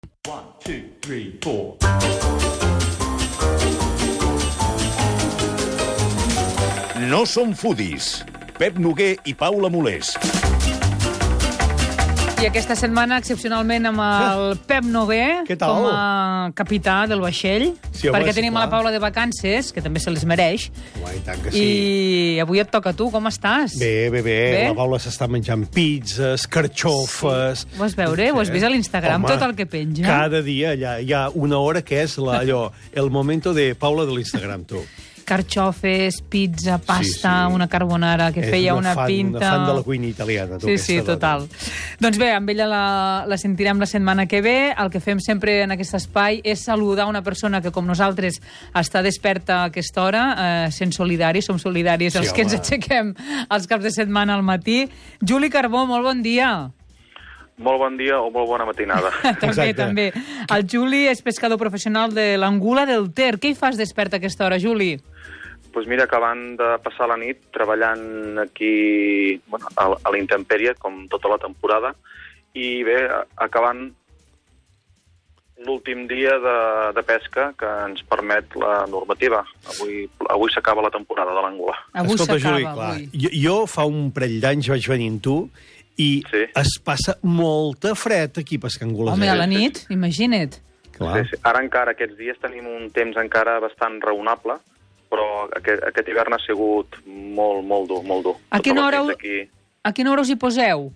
1, 2, 3, 4. No som foodies. Pep Noguer i Paula Molés. I aquesta setmana, excepcionalment, amb el Pep Noguer com a capità del vaixell, Sí, home, perquè sí, tenim clar. a la Paula de vacances, que també se les mereix, Home, i tant que sí. i avui et toca a tu. Com estàs? Bé. Bé? La Paula s'està menjant pizzas, carxofes... Ho vas veure? Ho has vist a l'Instagram, tot el que penja? Cada dia hi ha una hora que és el momento de Paula de l'Instagram, tu. Carxofes, pizza, pasta, Sí. una carbonara que feia una pinta... Una fan de la cuina italiana, tu. Sí, aquesta total. dona. Doncs bé, amb ella la sentirem la setmana que ve. El que fem sempre en aquest espai és saludar una persona que, com nosaltres, està desperta a aquesta hora, sent solidaris, som solidaris els que ens home. aixequem els caps de setmana al matí. Juli Carbó, molt bon dia. Molt bon dia o molt bona matinada. També. El Juli és pescador professional de l'Angula del Ter. Què hi fas despert a aquesta hora, Juli? Doncs mira, acabant de passar la nit treballant aquí a la intempèrie, com tota la temporada, i bé, acabant l'últim dia de pesca que ens permet la normativa. Avui s'acaba la temporada de l'Angula. Avui Escolta, s'acaba, Juli, clar, avui. jo fa un parell d'anys vaig venir amb tu i Sí. es passa molta fred aquí pescant angules. Home, a la nit, imagina't. Clar. Sí. Ara encara, aquests dies, tenim un temps encara bastant raonable, però aquest hivern ha sigut molt dur. A quina hora Aquí... A quina hora us hi poseu?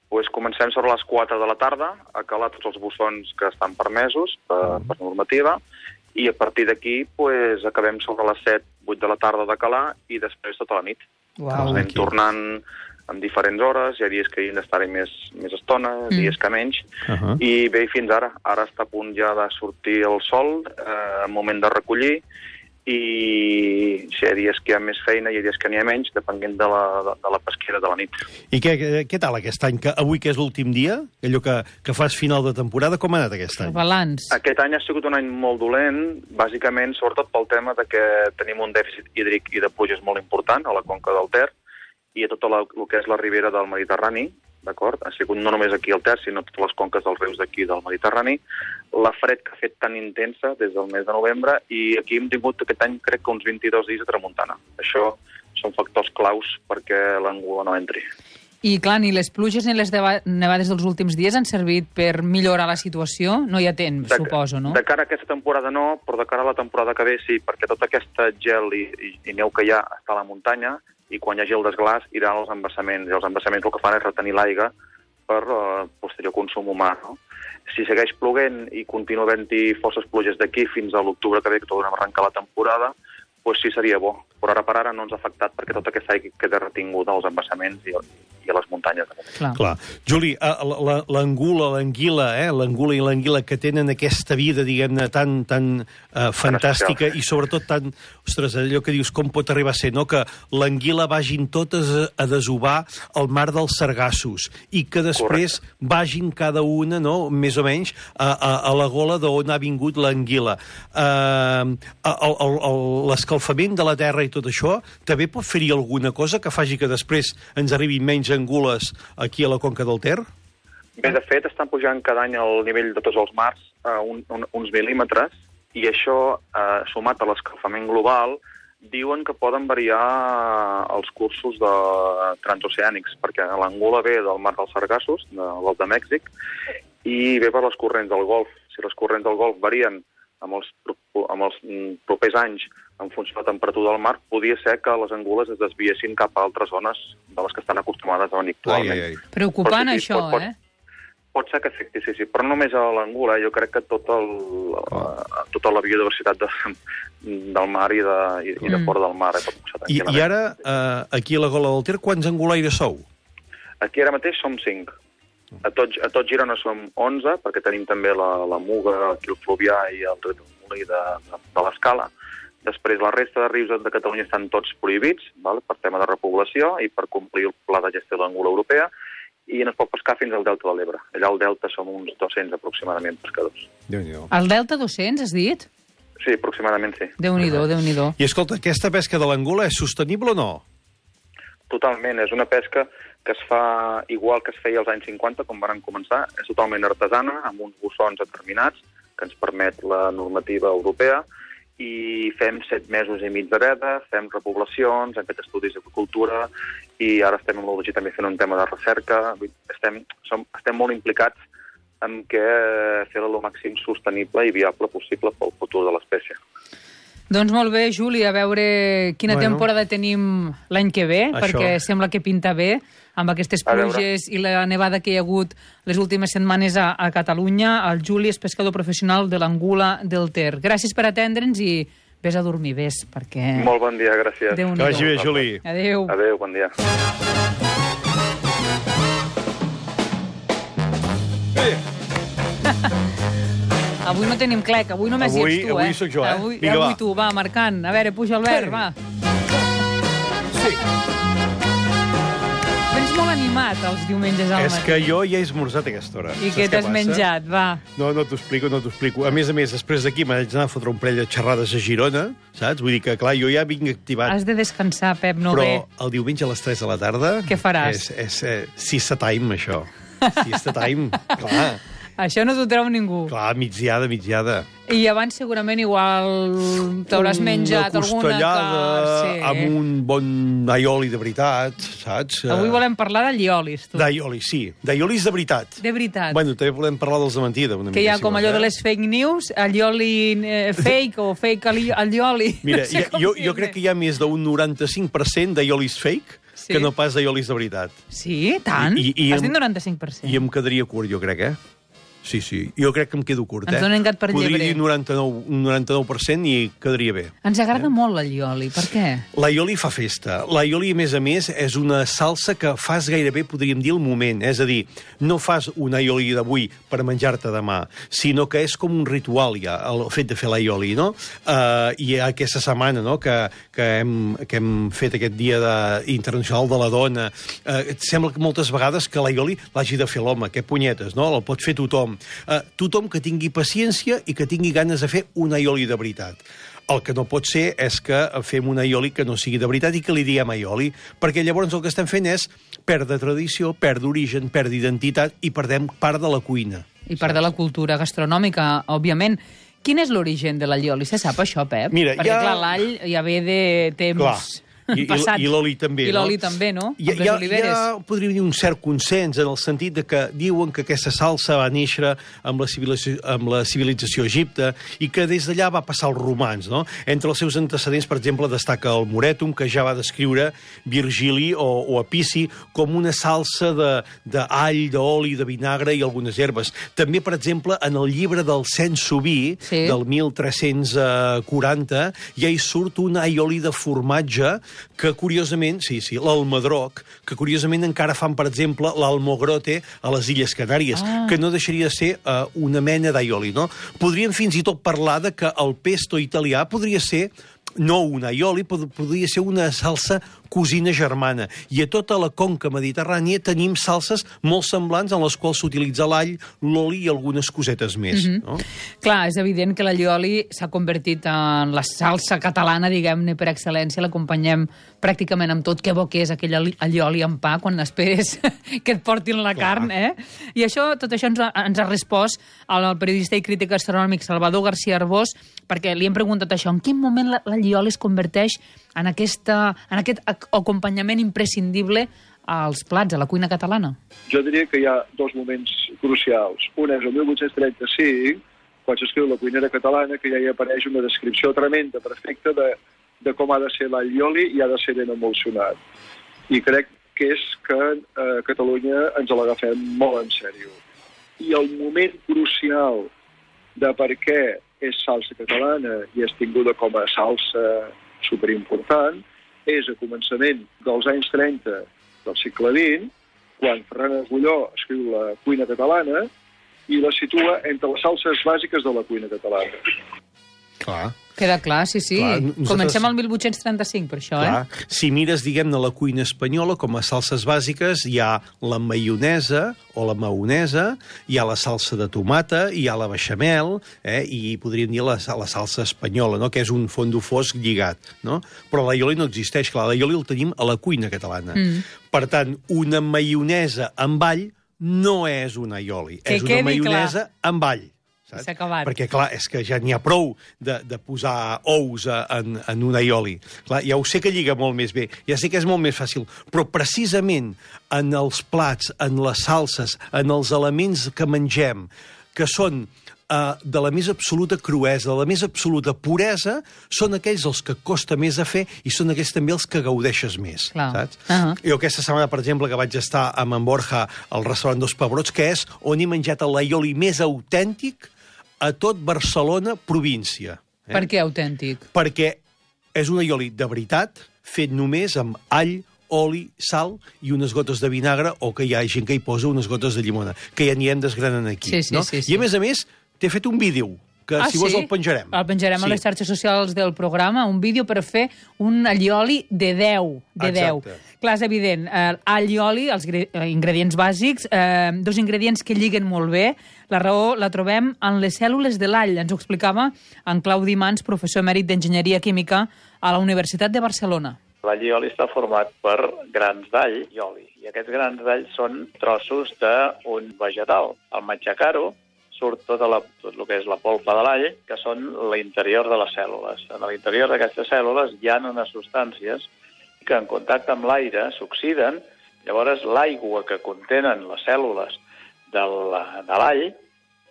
Pues comencem sobre les 4 de la tarda a calar tots els bussons que estan permesos per normativa, i a partir d'aquí pues, acabem sobre les 7, 8 de la tarda de calar i després tota la nit. Uau. Ens anem tornant en diferents hores, hi ha dies que hi hem d'estar-hi més estona, dies que menys, i bé, fins ara. Ara està a punt ja de sortir el sol, moment de recollir, i si hi ha dies que hi ha més feina i hi ha dies que n'hi ha menys, depenent de la pesquera de la nit. I què tal aquest any? Avui que és l'últim dia, allò que fas final de temporada, com ha anat aquest any? El balanç. Aquest any ha sigut un any molt dolent, bàsicament, sobretot pel tema de que tenim un dèficit hídric i de pluges molt important a la conca del Ter i a tot el que és la ribera del Mediterrani, d'acord? Ha sigut no només aquí al Ter, sinó totes les conques dels rius d'aquí del Mediterrani. La fred que ha fet tan intensa des del mes de novembre, i aquí hem tingut aquest any, crec que uns 22 dies de tramuntana. Això són factors claus perquè l'Angula no entri. I, clar, ni les pluges ni les nevades dels últims dies han servit per millorar la situació? No hi ha temps, suposo, no? De cara a aquesta temporada no, però de cara a la temporada que ve sí, perquè tot aquest gel i neu que hi ha està a la muntanya, i quan hi hagi el desglàs iran als embassaments, i els embassaments el que fan és retenir l'aigua per posterior consum humà, no? Si segueix ploguent i continua havent-hi forces pluges d'aquí fins a l'octubre que ve, que tornem a arrencar la temporada, doncs sí seria bo. Però ara per ara no ens ha afectat perquè tota aquesta aigua queda retinguda als embassaments i a les muntanyes. Clar. Juli, l'angula, l'anguila, l'angula i l'anguila que tenen aquesta vida, diguem-ne, tan fantàstica i sobretot tan... Ostres, allò que dius, com pot arribar a ser, no? Que l'anguila vagin totes a desovar el mar dels sargassos i que després vagin cada una, no?, més o menys, a la gola d'on ha vingut l'anguila. L'escalfament de la terra i tot això, també pot fer-hi alguna cosa que faci que després ens arribin menys angules aquí a la conca del Ter? Bé, de fet, estan pujant cada any el nivell de tots els mars a uns mil·límetres, i això, sumat a l'escalfament global, diuen que poden variar els cursos transoceànics, perquè l'Angula ve del mar dels Sargassos, del Golf de Mèxic, i ve per les corrents del Golf. Si les corrents del Golf varien amb els propers anys en funció de la temperatura del mar, podia ser que les angules es desviessin cap a altres zones de les que estan acostumades a venir actualment. Preocupant, això, Pot ser que afecti, sí, però no només a l'Angula. Jo crec que tota la biodiversitat del mar i de fora del mar pot passar tranquil·lament. I ara, aquí a la gola del Ter, quants angulaires sou? Aquí ara mateix som 5. A tot Girona som 11, perquè tenim també la Muga, aquí el Fluvià i el Riu del Molí de l'Escala. Després, la resta de rius de Catalunya estan tots prohibits, per tema de repoblació i per complir el pla de gestió de l'Angula europea, i no es pot pescar fins al Delta de l'Ebre. Allà al Delta som uns 200 aproximadament pescadors. Déu-n'hi-do. Al Delta 200, has dit? Sí, aproximadament sí. Déu-n'hi-do, Déu-n'hi-do. I escolta, aquesta pesca de l'angula és sostenible o no? Totalment, és una pesca que es fa igual que es feia als anys 50, com van començar. És totalment artesana, amb uns bossons determinats, que ens permet la normativa europea, i fem 7 mesos i mig de veda, fem repoblacions, hem fet estudis d'agricultura, i ara estem amb l'OLG també fent un tema de recerca. Estem molt implicats en fer-la el màxim sostenible i viable possible pel futur de l'espècie. Doncs molt bé, Juli, a veure quina temporada tenim l'any que ve, perquè sembla que pinta bé, amb aquestes pluges i la nevada que hi ha hagut les últimes setmanes a Catalunya. El Juli és pescador professional de l'Angula del Ter. Gràcies per atendre'ns i vés a dormir, perquè... Molt bon dia, gràcies. Que vagi bé, Juli. Adéu. Adéu, bon dia. Avui no tenim clec, avui només hi ets tu, Avui sóc jo, Vinga, avui tu, va, marcant. A veure, puja Albert, va. Sí. Vens molt animat els diumenges al matí. És que jo ja he esmorzat a aquesta hora. I què t'has menjat, va? No t'ho explico. A més, després d'aquí m'haig d'anar a fotre un parell de xerrades a Girona, saps? Vull dir que, clar, jo ja vinc activat. Has de descansar, Pep, no Però bé. el diumenge a les 3 de la tarda... Què faràs? És siesta time, això. Siesta time, clar. Això no t'ho treu ningú. Clar, migdiada. I abans segurament igual t'hauràs menjat una costellada amb un bon aioli de veritat, saps? Avui volem parlar d'alliolis, tu. D'aiolis, sí. D'aiolis de veritat. De veritat. Bueno, també volem parlar dels de mentida. Que hi ha com allò de les fake news, allioli fake o fake allioli. Mira, jo crec que hi ha més d'un 95% d'aiolis fake que no pas d'aiolis de veritat. Sí? Tant? Has dit 95%? I em quedaria curt, jo crec, Sí. Jo crec que em quedo curt, Ens donen gat per llebrer. Podria dir 99% i quedaria bé. Ens agrada molt l'allioli, per què? L'aioli fa festa. L'aioli, a més, és una salsa que fas gairebé, podríem dir, el moment. És a dir, no fas un aioli d'avui per menjar-te demà, sinó que és com un ritual, ja, el fet de fer l'aioli, no? I aquesta setmana, no?, que hem fet aquest dia internacional de la dona, sembla que moltes vegades que l'aioli l'hagi de fer l'home, que punyetes, no? El pot fer tothom. Tothom que tingui paciència i que tingui ganes de fer un aioli de veritat. El que no pot ser és que fem un aioli que no sigui de veritat i que li diguem aioli, perquè llavors el que estem fent és perdre tradició, perdre origen, perdre identitat i perdem part de la cuina. I part de la cultura gastronòmica, òbviament. Quin és l'origen de l'allioli? Se sap això, Pep? Mira, perquè, clar, l'all ja ve de temps... passats. I l'oli també, I l'oli també, no? Amb les oliveres. Ja podríem dir un cert consens en el sentit de que diuen que aquesta salsa va néixer amb la civilització egipte i que des d'allà va passar als romans, no? Entre els seus antecedents, per exemple, destaca el Moretum, que ja va descriure Virgili o Apici com una salsa d'all, d'oli, de vinagre i algunes herbes. També, per exemple, en el llibre del Saint-Subi, del 1340, ja hi surt un aioli de formatge que curiosament, l'almedroc, que curiosament encara fan, per exemple, l'almogrote a les Illes Canàries, que no deixaria de ser una mena d'aioli, no? Podríem fins i tot parlar de que el pesto italià podria ser no un aioli, podria ser una salsa cosina germana. I a tota la conca mediterrània tenim salses molt semblants en les quals s'utilitza l'all, l'oli i algunes cosetes més. No? Clar, és evident que l'allioli s'ha convertit en la salsa catalana, diguem-ne, per excel·lència. L'acompanyem pràcticament amb tot. Que bo que és aquell allioli amb pa quan esperes que et portin la carn, I tot això ens ha respost el periodista i crític gastronòmic Salvador García Arbós, perquè li hem preguntat això, en quin moment l'allioli es converteix en aquest acompanyament imprescindible als plats, a la cuina catalana? Jo diria que hi ha dos moments crucials. Un és el 1835, quan s'escriu La cuinera catalana, que ja hi apareix una descripció tremenda, perfecta, de com ha de ser l'allioli i ha de ser ben emulsionat. I crec que és que a Catalunya ens l'agafem molt en sèrio. I el moment crucial de per què és salsa catalana i és tinguda com a salsa superimportant és a començament dels anys 30 del segle XX, quan Ferran Agulló escriu La cuina catalana i la situa entre les salses bàsiques de la cuina catalana. Clar. Queda clar, sí. Clar, nosaltres... Comencem al 1835, per això, Clar. Si mires, diguem-ne, la cuina espanyola, com a salses bàsiques, hi ha la maionesa o la maonesa, hi ha la salsa de tomata, hi ha la beixamel, i podríem dir la salsa espanyola, no?, que és un fondo fosc lligat, no? Però l'aioli no existeix, clar, l'aioli el tenim a la cuina catalana. Per tant, una maionesa amb all no és un aioli, és una maionesa amb all. S'ha acabat. Perquè, clar, és que ja n'hi ha prou de posar ous en un aioli. Clar, ja ho sé que lliga molt més bé, ja sé que és molt més fàcil, però precisament en els plats, en les salses, en els elements que mengem, que són de la més absoluta cruesa, de la més absoluta puresa, són aquells els que costa més a fer i són aquells també els que gaudeixes més, saps? Jo aquesta setmana, per exemple, que vaig estar amb en Borja al restaurant Dos Pebrots, que és on he menjat l'aioli més autèntic a tot Barcelona, província. Per què autèntic? Perquè és un aioli de veritat, fet només amb all, oli, sal i unes gotes de vinagre, o que hi ha gent que hi posa unes gotes de llimona, que ja anirem desgranant aquí. Sí. I a més, t'he fet un vídeo, que si vols el penjarem. El penjarem a les xarxes socials del programa, un vídeo per fer un allioli de 10. Exacte. Clar, és evident, all i oli, els ingredients bàsics, dos ingredients que lliguen molt bé. La raó la trobem en les cèl·lules de l'all. Ens ho explicava en Claudi Mans, professor emèrit d'Enginyeria Química a la Universitat de Barcelona. L'all i oli està format per grans d'all i oli. I aquests grans d'all són trossos d'un vegetal. Al matxacar-ho surt tot el que és la polpa de l'all, que són l'interior de les cèl·lules. En l'interior d'aquestes cèl·lules hi ha unes substàncies que en contacte amb l'aire s'oxiden, llavors l'aigua que contenen les cèl·lules de l'all,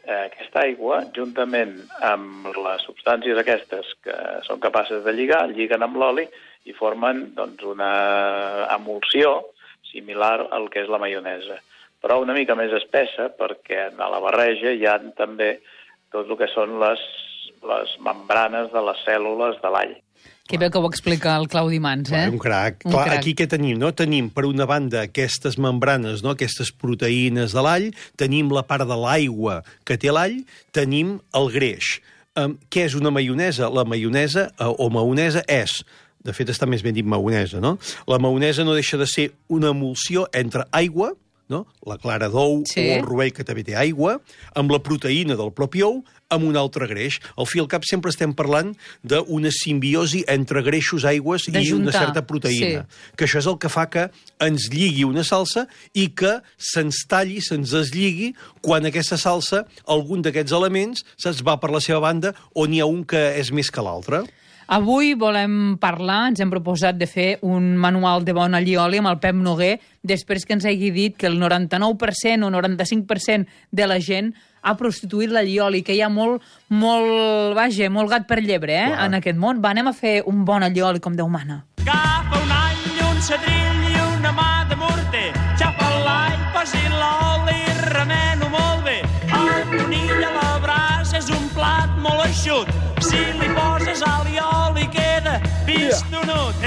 aquesta aigua, juntament amb les substàncies aquestes que són capaces de lligar, lliguen amb l'oli i formen una emulsió similar al que és la maionesa, però una mica més espessa, perquè a la barreja hi ha també tot el que són les membranes de les cèl·lules de l'all. Que bé que ho explica el Claudi Mans, Un crac. Clar, aquí què tenim? No? Tenim, per una banda, aquestes membranes, no? Aquestes proteïnes de l'all, tenim la part de l'aigua que té l'all, tenim el greix. Què és una maionesa? La maionesa, o maonesa, és... De fet, està més ben dit maonesa, no? La maonesa no deixa de ser una emulsió entre aigua, no? La clara d'ou o el rovell, que també té aigua, amb la proteïna del propi ou, amb un altre greix. Al fi i al cap sempre estem parlant d'una simbiosi entre greixos, aigües i una certa proteïna. Que això és el que fa que ens lligui una salsa i que se'ns talli, se'ns deslligui, quan aquesta salsa, algun d'aquests elements, se'ns va per la seva banda, on hi ha un que és més que l'altre. Avui volem parlar, ens hem proposat de fer un manual de bon allioli amb el Pep Noguer, després que ens hagi dit que el 99% o 95% de la gent ha prostituït l'allioli, que hi ha molt gat per llebre, en aquest món. Va, anem a fer un bon allioli com Déu mana. Agafa un all, un cedrill i una mà de morter, xafa l'all, posi l'oli, remeno molt bé. El conill a la brasa és un plat molt eixut, si li poses all i oli queda pistonut.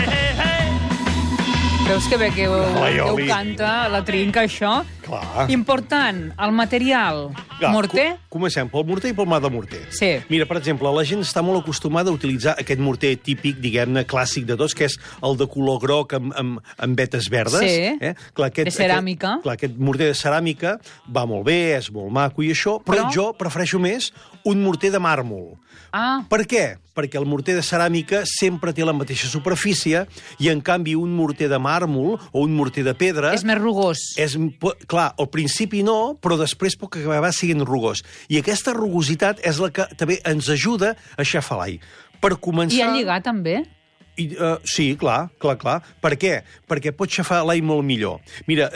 Veus que bé que ho canta, la trinca, això? Clar. Important, el material. Morter? Comencem pel morter i pel mà de morter. Sí. Mira, per exemple, la gent està molt acostumada a utilitzar aquest morter típic, diguem-ne, clàssic de tots, que és el de color groc amb vetes verdes. Sí, clar, de ceràmica. Aquest morter de ceràmica va molt bé, és molt maco i això, però jo prefereixo més un morter de màrmol. Per què? Perquè el morter de ceràmica sempre té la mateixa superfície i, en canvi, un morter de màrmol o un morter de pedra... És més rugós. Clar, al principi no, però després pot acabar sent rugós. I aquesta rugositat és la que també ens ajuda a aixafar l'all. Per començar... I a lligar, també? Sí, clar. Per què? Perquè pot xafar l'all molt millor. Mira,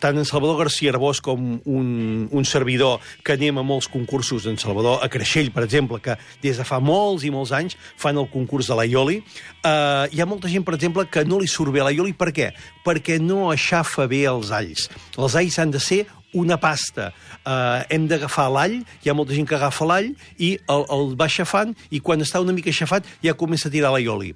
tant en Salvador García Arbós com un servidor que anem a molts concursos, en Salvador, a Creixell, per exemple, que des de fa molts i molts anys fan el concurs de l'aioli, hi ha molta gent, per exemple, que no li surt bé l'aioli. Per què? Perquè no aixafa bé els alls. Els alls han de ser una pasta. Hem d'agafar l'all, hi ha molta gent que agafa l'all i el va aixafant, i quan està una mica aixafat ja comença a tirar l'aioli.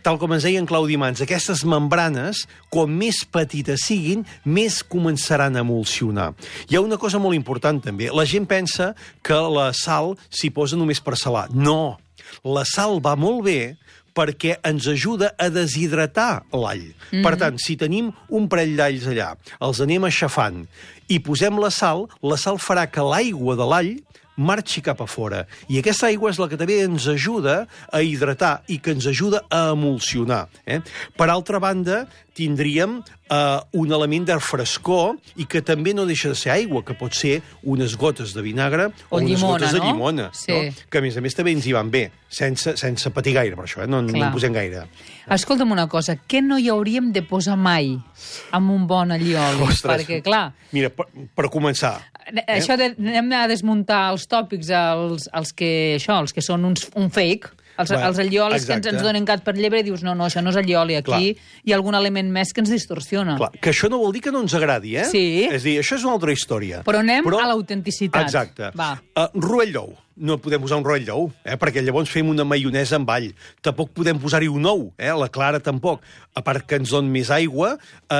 tal com ens deia en Claudi Mans, aquestes membranes, com més petites siguin, més començaran a emulsionar. Hi ha una cosa molt important, també. La gent pensa que la sal s'hi posa només per salar. No! La sal va molt bé perquè ens ajuda a deshidratar l'all. Per tant, si tenim un parell d'alls allà, els anem aixafant i posem la sal farà que l'aigua de l'all marxi cap a fora. I aquesta aigua és la que també ens ajuda a hidratar i que ens ajuda a emulsionar. Per altra banda, tindríem un element de frescor i que també no deixa de ser aigua, que pot ser unes gotes de vinagre o unes gotes de llimona. Sí. No? Que, a més ens hi van bé, sense patir gaire, per això, no en posem gaire. Escolta'm una cosa, què no hi hauríem de posar mai amb un bon allioli? Ostres, perquè, clar... Mira, per començar... Això anem a desmuntar els tòpics, els que són un fake, els alliolis que ens donen gat per llebre i dius, no, això no és allioli, aquí hi ha algun element més que ens distorsiona. Clar, que això no vol dir que no ens agradi, Sí. És a dir, això és una altra història. Però anem a l'autenticitat. Exacte. Va. Rovell d'ou. No podem posar un rovell d'ou, perquè llavors fem una maionesa amb all. Tampoc podem posar-hi un ou, la clara tampoc, a part que ens dona més aigua,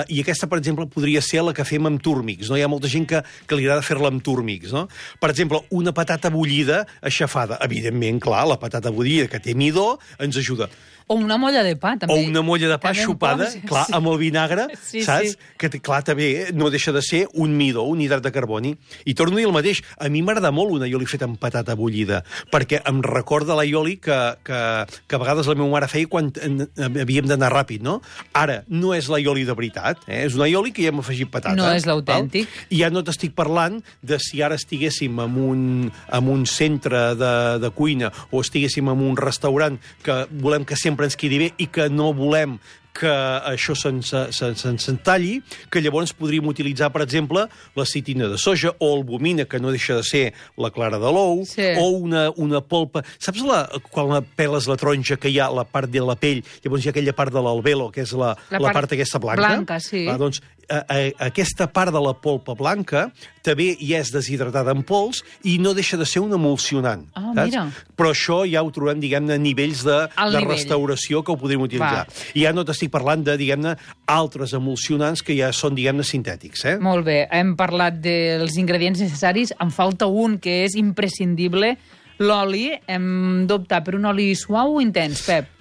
i aquesta, per exemple, podria ser la que fem amb túrmics, no? Hi ha molta gent que li agrada fer-la amb túrmics, no? Per exemple, una patata bullida aixafada. Evidentment, clar, la patata bullida que té midó ens ajuda. O una molla de pa, també. O una molla de pa xupada, clar, amb el vinagre, saps? Que, clar, també no deixa de ser un midó, un hidrat de carboni. I torno a dir el mateix, a mi m'agrada molt un aioli fet amb patata bullida, perquè em recorda l'aioli que a vegades la meva mare feia quan havíem d'anar ràpid, no? Ara, no és l'aioli de veritat, és un aioli que hi hem afegit patata. No és l'autèntic. I ja no t'estic parlant de si ara estiguéssim en un centre de cuina o estiguéssim en un restaurant que volem que sempre ens quedi bé i que no volem que això se'ns talli, que llavors podríem utilitzar, per exemple, la citina de soja o albumina, que no deixa de ser la clara de l'ou, o una polpa... Saps quan peles la taronja que hi ha la part de la pell, llavors hi ha aquella part de l'albelo, que és la part aquesta blanca? Blanca, sí. Doncs aquesta part de la polpa blanca també ja és deshidratada en pols i no deixa de ser un emulsionant. Mira. Però això ja ho trobem, diguem-ne, a nivells de restauració que ho podríem utilitzar. I ja no t'estic parlant de, diguem-ne, altres emulsionants que ja són, diguem-ne, sintètics. Molt bé, hem parlat dels ingredients necessaris. En falta un que és imprescindible, l'oli. Hem d'optar per un oli suau o intens, Pep?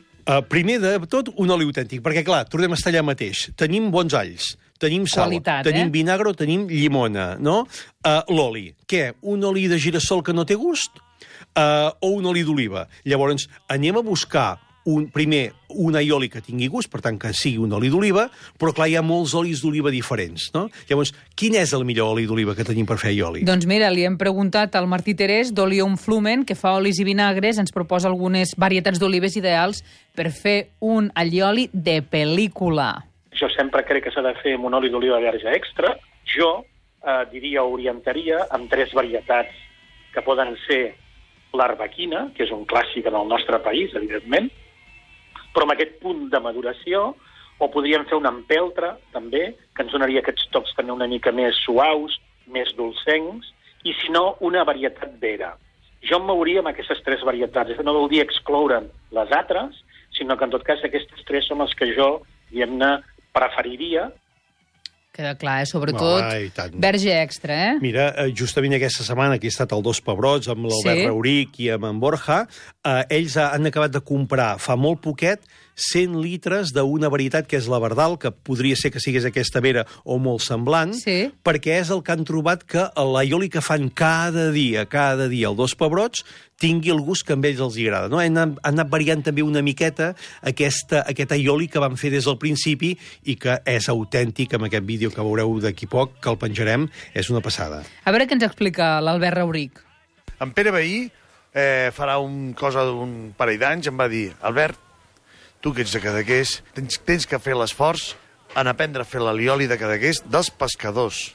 Primer de tot, un oli autèntic, perquè, clar, tornem a estar allà mateix. Tenim bons alls, tenim sal, tenim vinagre o tenim llimona, no? L'oli. Què? Un oli de girassol que no té gust? O un oli d'oliva? Llavors, anem a buscar primer un aioli que tingui gust, per tant que sigui un oli d'oliva, però clar, hi ha molts olis d'oliva diferents, no? Llavors, quin és el millor oli d'oliva que tenim per fer aioli? Doncs mira, li hem preguntat al Martí Terès d'Olium Flumen, que fa olis i vinagres, ens proposa algunes varietats d'olives ideals per fer un allioli de pel·lícula. Jo sempre crec que s'ha de fer amb un oli d'oliva verge extra. Jo orientaria amb 3 varietats que poden ser l'arbequina, que és un clàssic en el nostre país, evidentment, però amb aquest punt de maduració, o podríem fer una empeltra, també, que ens donaria aquests tocs també una mica més suaus, més dolcencs, i si no, una varietat vera. Jo em mouria amb aquestes 3 varietats. No vol dir excloure les altres, sinó que en tot cas aquestes 3 són les que jo, diguem-ne, preferiria. Queda clar, sobretot verge extra, Mira, justament aquesta setmana que he estat al Dos Pebrots amb l'Albert Rauric i amb en Borja, ells han acabat de comprar fa molt poquet 100 litres d'una varietat que és la Verdal, que podria ser que sigués aquesta vera o molt semblant, perquè és el que han trobat que l'aioli que fan cada dia al Dos Pebrots tingui el gust que a ells els agrada. No? Han anat variant també una miqueta aquest aioli que van fer des del principi i que és autèntic amb aquest vídeo que veureu d'aquí poc, que el penjarem, és una passada. A veure què ens explica l'Albert Rauric. En Pere Veí farà una cosa d'un parell d'anys, em va dir: Albert, tu que ets de Cadaqués, tens que fer l'esforç en aprendre a fer l'alioli de Cadaqués dels pescadors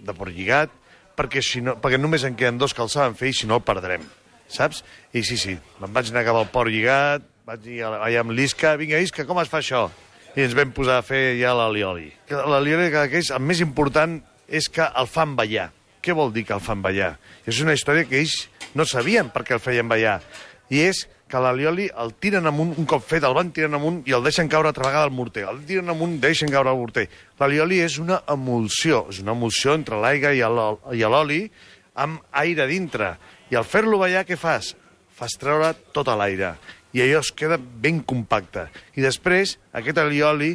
de Port Lligat, perquè només en queden 2 que el saben fer i si no el perdrem, saps? I sí, me'n vaig anar cap al Port Lligat, vaig dir allà amb l'Isca: vinga, Isca, com es fa això? I ens vam posar a fer ja l'alioli. L'alioli de Cadaqués, el més important és que el fan ballar. Què vol dir que el fan ballar? És una història que ells no sabien per què el feien ballar. i és que l'allioli el tiren amunt, un cop fet el van tirant amunt i el deixen caure altra vegada al morter. El tiren amunt, deixen caure al morter. L'allioli és una emulsió entre l'aigua i l'oli amb aire dintre. I al fer-lo ballar, què fas? Fas treure tot l'aire. I allò es queda ben compacte. I després, aquest allioli,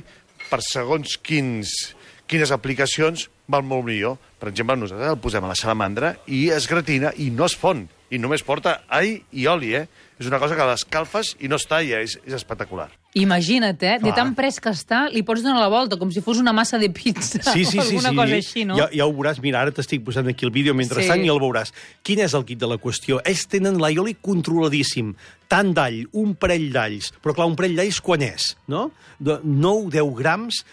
per segons quines aplicacions, val molt millor. Per exemple, nosaltres el posem a la salamandra i es gratina i no es fon. I només porta all i oli, És una cosa que l'escalfes i no es talla, és espectacular. Imagina't, de tan pres que està, li pots donar la volta, com si fos una massa de pizza o alguna cosa així, no? Ja ho veuràs, mira, ara t'estic posant aquí el vídeo mentrestant i el veuràs. Quin és el kit de la qüestió? Ells tenen l'allioli controladíssim, tant d'all, un parell d'alls, però clar, un parell d'alls quan és, no? 9-10 grams,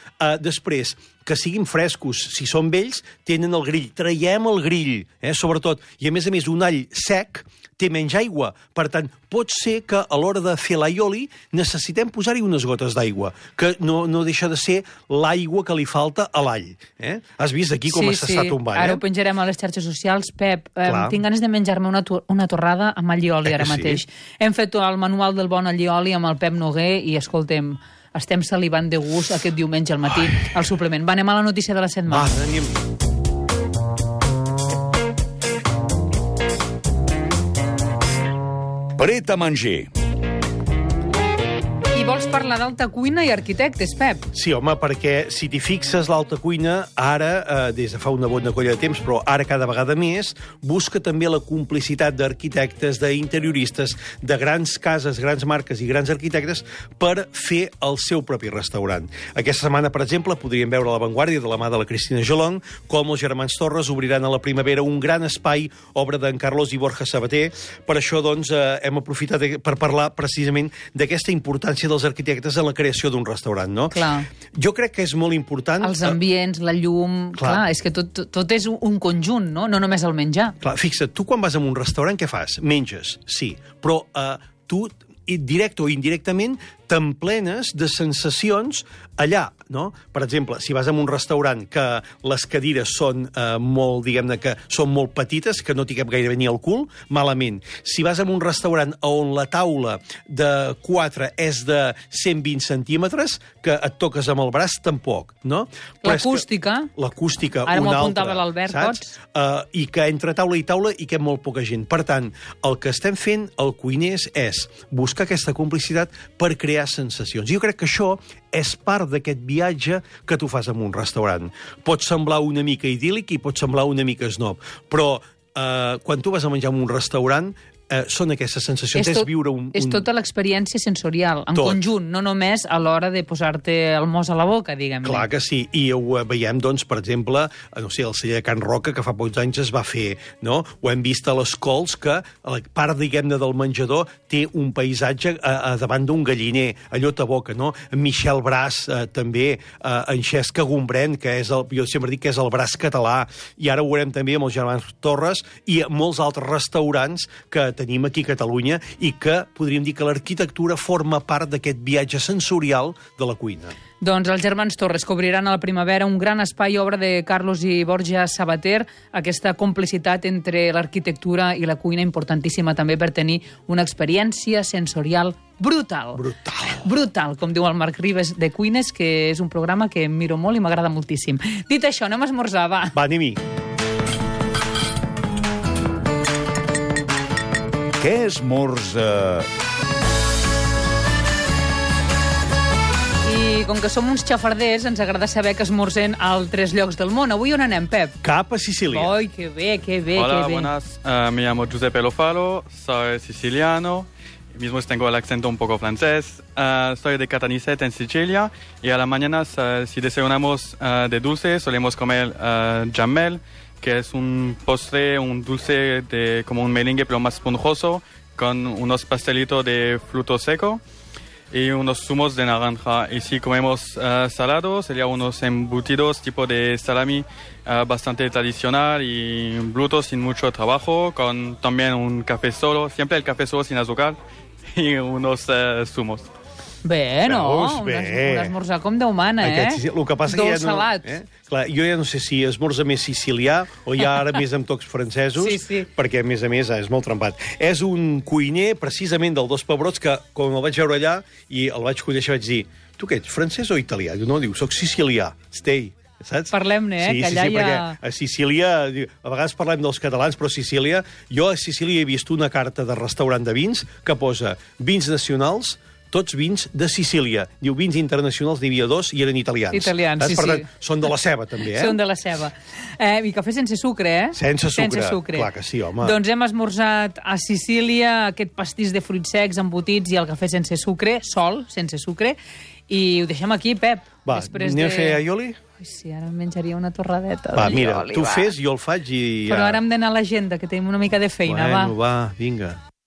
després, que siguin frescos, si són vells, tenen el grill, traiem el grill, sobretot, i a més, un all sec té menys aigua, per tant, pot ser que a l'hora de fer l'allioli necessitem posar-hi unes gotes d'aigua, que no deixa de ser l'aigua que li falta a l'all. Has vist aquí com s'està tombant? Ara ho penjarem a les xarxes socials. Pep, tinc ganes de menjar-me una torrada amb allioli ara mateix. Hem fet el manual del bon allioli amb el Pep Noguer i, escoltem, estem salivant de gust aquest diumenge al matí al suplement. Va, anem a la notícia de la setmana. Va, anem. Pret a manger. I vols parlar d'alta cuina i arquitectes, Pep? Sí, home, perquè si t'hi fixes, l'alta cuina, ara, des de fa una bona colla de temps, però ara cada vegada més, busca també la complicitat d'arquitectes, d'interioristes, de grans cases, grans marques i grans arquitectes per fer el seu propi restaurant. Aquesta setmana, per exemple, podríem veure a l'avantguàrdia de la mà de la Cristina Jolong com els germans Torres obriran a la primavera un gran espai, obra d'en Carlos i Borja Sabater. Per això, doncs, hem aprofitat per parlar precisament d'aquesta importància dels arquitectes en la creació d'un restaurant, no? Clar. Jo crec que és molt important... Els ambients, la llum... Clar, és que tot és un conjunt, no? No només el menjar. Clar, fixa't, tu quan vas a un restaurant, què fas? Menges, sí, però tu, directe o indirectament, t'emplenes de sensacions allà, no? Per exemple, si vas a un restaurant que les cadires són molt, diguem-ne, que són molt petites, que no t'hi cap gairebé ni al cul, malament. Si vas a un restaurant on la taula de 4 és de 120 centímetres, que et toques amb el braç, tampoc, no? L'acústica. L'acústica, ara una altra. Ara m'ho apuntava l'Albert, pots? I que entre taula i taula hi cap molt poca gent. Per tant, el que estem fent, el cuiners, és buscar aquesta complicitat per crear sensacions. Jo crec que això és part d'aquest viatge que tu fas en un restaurant. Pot semblar una mica idíl·lic i pot semblar una mica snob, però quan tu vas a menjar en un restaurant són aquestes sensacions, és viure un... És tota l'experiència sensorial, en conjunt, no només a l'hora de posar-te el mos a la boca, diguem-ne. Clar que sí, i ho veiem, doncs, per exemple, no sé, el celler de Can Roca, que fa pocs anys es va fer, no? Ho hem vist a les Cols, que a la part, diguem-ne, del menjador té un paisatge davant d'un galliner, allò ta boca, no? Michel Bras, també, en Xesc Gombrèn, que és jo sempre dic que és el braç català, i ara ho veurem també amb els germans Torres i molts altres restaurants que tenim aquí a Catalunya i que podríem dir que l'arquitectura forma part d'aquest viatge sensorial de la cuina. Doncs els germans Torres que obriran a la primavera un gran espai obra de Carlos i Borja Sabater, aquesta complicitat entre l'arquitectura i la cuina importantíssima també per tenir una experiència sensorial brutal. Brutal, com diu el Marc Ribes de Cuines, que és un programa que miro molt i m'agrada moltíssim. Dit això, anem a esmorzar, va. Va, anem-hi. Què esmorza? I com que som uns xafarders, ens agrada saber que esmorzem a altres llocs del món. Avui on anem, Pep? Cap a Sicília. Ai, que bé, que bé, Hola, que bé. buenas. Me llamo Giuseppe Lofalo, soy siciliano. Mismo tengo el acento un poco francés. Soy de Caltanissette, en Sicilia. Y a la mañana, si desayunamos de dulce, solemos comer jammel, que es un postre, un dulce como un merengue, pero más esponjoso, con unos pastelitos de fruto seco y unos zumos de naranja. Y si comemos salado, sería unos embutidos tipo de salami bastante tradicional y bruto, sin mucho trabajo, con también un café solo, siempre el café solo sin azúcar, y unos zumos. Bé, no? Veus? Bé. Un esmorzar com Déu mana, El que passa que Dolç salat. Clar, jo ja no sé si esmorza més sicilià o ja ara més amb tocs francesos, Sí. perquè, a més, és molt trempat. És un cuiner, precisament, del Dos Pebrots, que, quan el vaig veure allà i el vaig conèixer, vaig dir, tu què ets, francès o italià? Diu, no, soc sicilià, stay. Saps? Parlem-ne, que allà hi ha... perquè a Sicília, a vegades parlem dels catalans, però a Sicília, jo a Sicília he vist una carta de restaurant de vins que posa vins nacionals, tots vins de Sicília. Diu, vins internacionals n'hi havia 2 i eren italians. Italians, saps? sí, Per tant, sí. són de la ceba, també, Són de la ceba. I cafè sense sucre, Sense sucre. Clar que sí, home. Doncs hem esmorzat a Sicília aquest pastís de fruits secs embotits i el cafè sense sucre, sol, sense sucre, i ho deixem aquí, Pep. Va, anem a fer aioli? Ai, sí, ara em menjaria una torradeta. Va, mira, tu fes, jo el faig i... Però ara hem d'anar a l'agenda, que tenim una mica de feina, Bueno, va, vinga.